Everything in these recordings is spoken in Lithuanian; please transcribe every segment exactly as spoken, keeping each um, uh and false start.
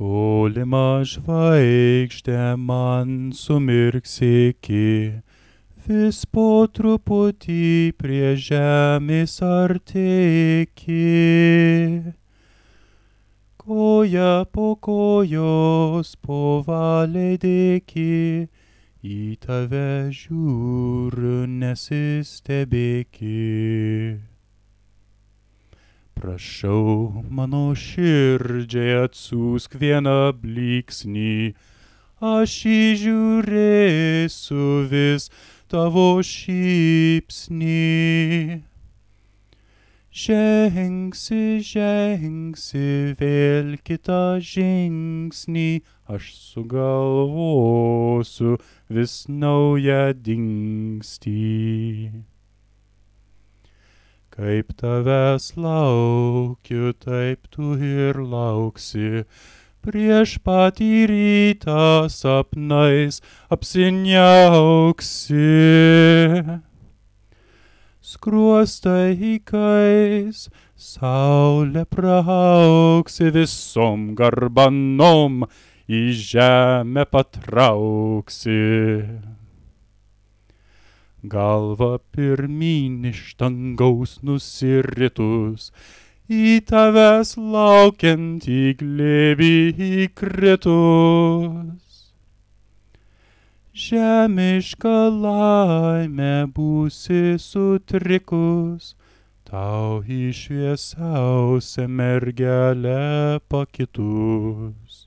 Tolima žvaigždė man sumirksėki, vis po truputį prie žemės artėki. Koja po kojos po valiai dėki, į tave žiūriu nesistebėki. Prašau, mano širdžiai atsiųsk vieną blyksnį, aš įžiūrėsiu vis tavo šypsnį. Žengsi, žengsi vėl kitą žingsnį, aš sugalvosiu vis naują dingstį. Kaip tavęs laukiu, taip tu ir lauksi, prieš patį rytą sapnais apsiniauksi. Skruostai įkais, saulė prauksi, visom garbanom į žemę patrauksi. Galva pirmyn iš dangaus nusiritus, į tavęs laukiantį glėbį įkritus. Žemiška laimė būsi sutrikus, tau į šviesiausią mergelę pakitus.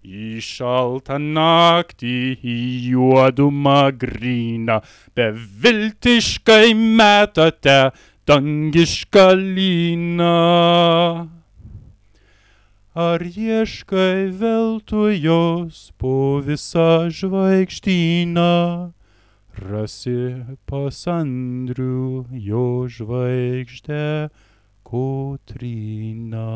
Į šaltą naktį, į juodumą gryną, beviltiškai metate dangišką lyną. Ar ieškai veltui jos po visą žvaigždyną, rasi pas Andrių jo žvaigždę Kotryną.